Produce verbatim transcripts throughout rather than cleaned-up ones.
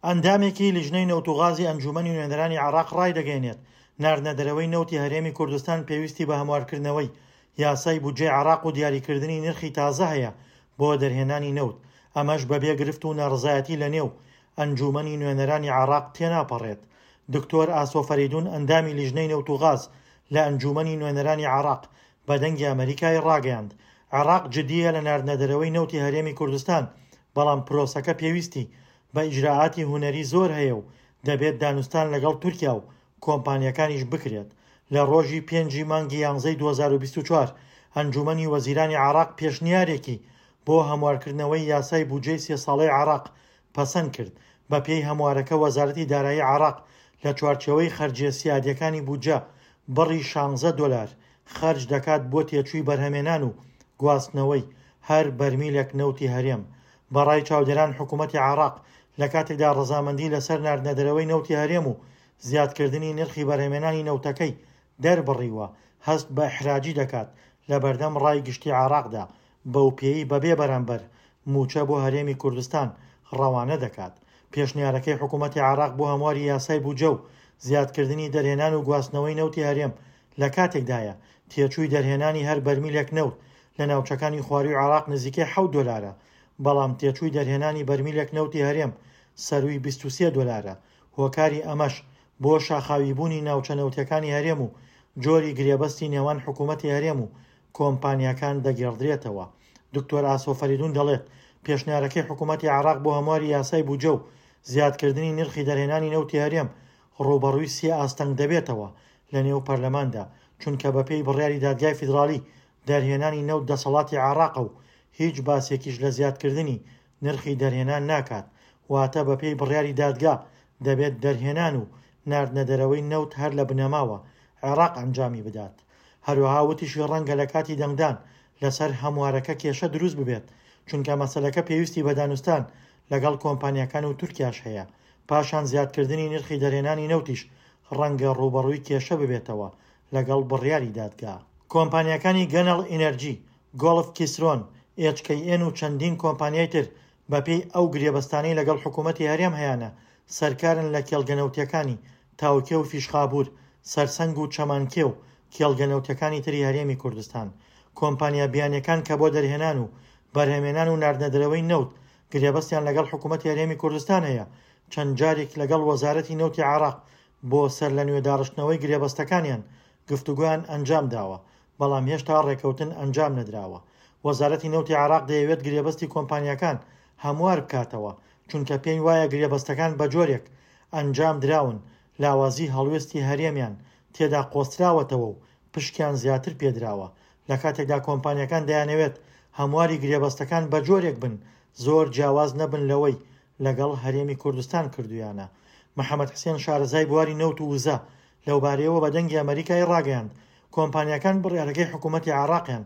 ئەندامێکی لیژنەی نەوت و غازی ئەنجومەنی نوێنەرانی عێراق ڕایدەگەیەنێت، ناردنە دەرەوەی نەوتی هەرێمی کوردستان پێویستی بە هەموارکردنەوەی یاسای بودجەی عێراق و دیاریکردنی نرخی تازە هەیە بۆ دەرهێنانی نەوت، ئەمەش بەبێ گرفت و ناڕەزایەتی لەنێو ئەنجومەنی نوێنەرانی عێراق تێناپەڕێت. دکتۆر ئاسۆ فەریدون ئەندامی لیژنەی نەوت و غاز لە ئەنجومەنی نوێنەرانی عێراق بە دەنگی ئەمەریکای ڕاگەیاند، عێراق جدیە لە ناردنە دەرەوەی نەوتی هەرێمی کوردستان، بەڵام پرۆسەکە پێویستی بە ئیجراعاتی هونەری زۆر هەیە و دەبێت دانوستان لەگەڵ تورکیا و کۆمپانیەکانیش بکرێت. لە ڕۆژی پێنجی مانگی یانزەی دوو هەزار و بیست و چوار ئەنجومەنی وەزیرانی عێراق پێشنیارێکی بۆ هەموارکردنەوەی یاسای بودجەی سێ ساڵەی عێراق پەسەند کرد. بە پێی هەموارەکە وەزارەتی دارایی عێراق لە چوارچێوەی خەرجیە سیادیەکانی بودجە بڕی شانزە دۆلار خەرج دەکات بۆ تێچووی بەرهەمێنان و گواستنەوەی هەر بەرمیلێک نەوتی هەرێم. بەڕای چاودێران حکوومەتی عێراق لە کاتێکدا ڕەزامەندی لەسەر ناردنە دەرەوەی نەوتی هەرێم و زیادکردنی نرخی بەرهەمێنانی نەوتەکەی دەربڕیوە، هەست بە ئیحراجی دەکات لە بەردەم ڕای گشتی عێراقدا، بەو پێی بەبێ بەرامبەر موچە بۆ هەرێمی کوردستان ڕەوانە دەکات. پێشنیارەکەی حکوومەتی عێراق بۆ هەمواری یاسای بودجە و زیادکردنی دەرهێنان و گواستنەوەی نەوتی هەرێم لە کاتێکدایە تێچووی دەرهێنانی هەر بەرمیلێک نەوت لە ناوچەکانی خواروی عێراق نزیکەی حەوت دۆلارە، بەڵام تێچووی دەرهێنانی بەرمیلێک نەوتی هەرێم سەروی بیست و سێ دۆلارە. هۆکاری ئەمەش بۆ شاخاویبوونی ناوچە نەوتیەکانی هەرێم و جۆری گرێبەستی نێوان حکوومەتی هەرێم و کۆمپانیاکان دەگێڕدرێتەوە. دکتۆر ئاسۆ فەریدون دەڵێت، پێشنیارەکەی حکوومەتی عێراق بۆ هەمواری یاسای بودجە و زیادکردنی نرخی دەرهێنانی نەوتی هەرێم ڕووبەڕووی سێ ئاستەنگ دەبێتەوە لە نێو پەرلەماندا، چونکە بەپێی بڕیاری دادگای فیدراڵی دەرهێنانی نەوت دەسەڵاتی عێراقە و هیچ باسێکیش لە زیادکردنی نرخی دەرهێنان ناکات. واتە بەپێی بڕیاری دادگا دەبێت دەرهێنان و ناردنە دەرەوەی نەوت هەر لە بنەماوە عێراق ئەنجامی بدات. هەروەها وتیشی ڕەنگە لە کاتی دەنگدان لەسەر هەموارەکە کێشە دروست ببێت، چونکە مەسەلەکە پێویستی بە دانوستان لەگەڵ کۆمپانیاکان و تورکیاش هەیە. پاشان زیادکردنی نرخی دەرهێنانی نەوتیش ڕەنگە ڕووبەڕووی کێشە ببێتەوە لەگەڵ بڕیاری دادگا. کۆمپانیاکانی گەنەڵ ئینەرجی، گۆڵف کیسرۆن، ئێچ کەی ئێن و چەندین کۆمپانیای تر بەپێی ئەو گرێبەستانەی لەگەڵ حکوومەتی هەرێم هەیانە سەرکارن لە کێڵگە نەوتیەکانی تاوکێ و فیشخابور، سەرسەنگ و چەمانکێ و کێڵگە نەوتیەکانی تری هەرێمی کوردستان. کۆمپانیا بیانیەکان کە بۆ دەرهێنان و بەرهەمێنان و ناردنە دەرەوەی نەوت گرێبەستیان لەگەڵ حکوومەتی هەرێمی کوردستان هەیە، چەند جارێک لەگەڵ وەزارەتی نەوتی عێراق بۆ سەر لە نوێ داڕشتنەوەی گرێبەستەکانیان گفتوگۆیان ئەنجام داوە، بەڵام هێشتا ڕێکەوتن ئەنجام نەدراوە. وەزارەتی نەوتی عێراق دەیەوێت گرێبەستی کۆمپانیاکان هەموار بکاتەوە، چونکە پێی وایە گرێبەستەکان بە جۆرێک ئەنجام دراون لاوازی هەڵوێستی هەرێمیان تێدا قۆستراوەتەوە و پشکیان زیاتر پێدراوە. لە کاتێکدا کۆمپانیاکان دەیانەوێت هەمواری گرێبەستەکان بە جۆرێک بن زۆر جیاواز نەبن لەوەی لەگەڵ هەرێمی کوردستان کردویانە. محەممەد حسێن شارەزای بواری نەوت و وزە لەوبارەیەوە بە دەنگی ئەمەریکای ڕاگەیاند، کۆمپانیاکان بڕیارەکەی حکوومەتی عێراقیان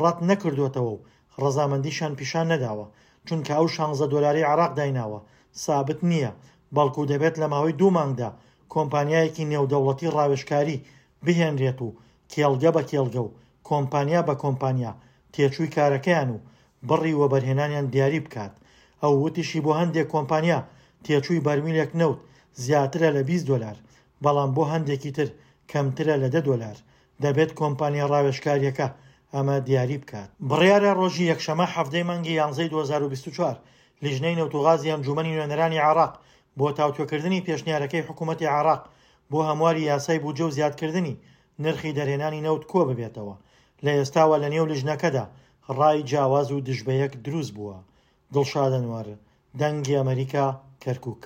ڕەت نەکردوێتەوە و ڕەزامەندیشیان پیشان نەداوە، چونکە ئەو شانزە دۆلاری عێراق دایناوە سابت نییە، بەڵکو دەبێت لە ماوەی دوو مانگدا کۆمپانیایەکی نێودەوڵەتی ڕاوێژکاری بهێنرێت و کێڵگە بە کێڵگە و کۆمپانیا بە کۆمپانیا تێچووی کارەکەیان و بڕی وەبەرهێنانیان دیاری بکات. ئەو وتیشی بۆ هەندێک کۆمپانیا تێچووی بەرمیلێک نەوت زیاترە لە بیست دۆلار، بەڵام بۆ هەندێکی تر کەمترە لە دە دۆلار. دەبێت کۆمپانیا ڕاوێژکاریەکە ئەمە دیاری بکات. بڕیارە ڕۆژی یەکشەمە حەفتەی مانگی یانزەی دوو هەزار و بیست و چوار لیژنەی نەوت و غازی ئەنجومەنی نوێنەرانی عێراق بۆ تاوتوێکردنی پێشنیارەکەی حکوومەتی عێراق بۆ هەمواری یاسای بودجە و زیادکردنی نرخی دەرهێنانی نەوت کۆ ببێتەوە. لە ئێستاوە لە نێو لیژنەکەدا ڕای جیاواز و دژبەیەک دروست بووە. دڵشاد ئەنوەر، دەنگی ئەمەریکا، کەرکووک.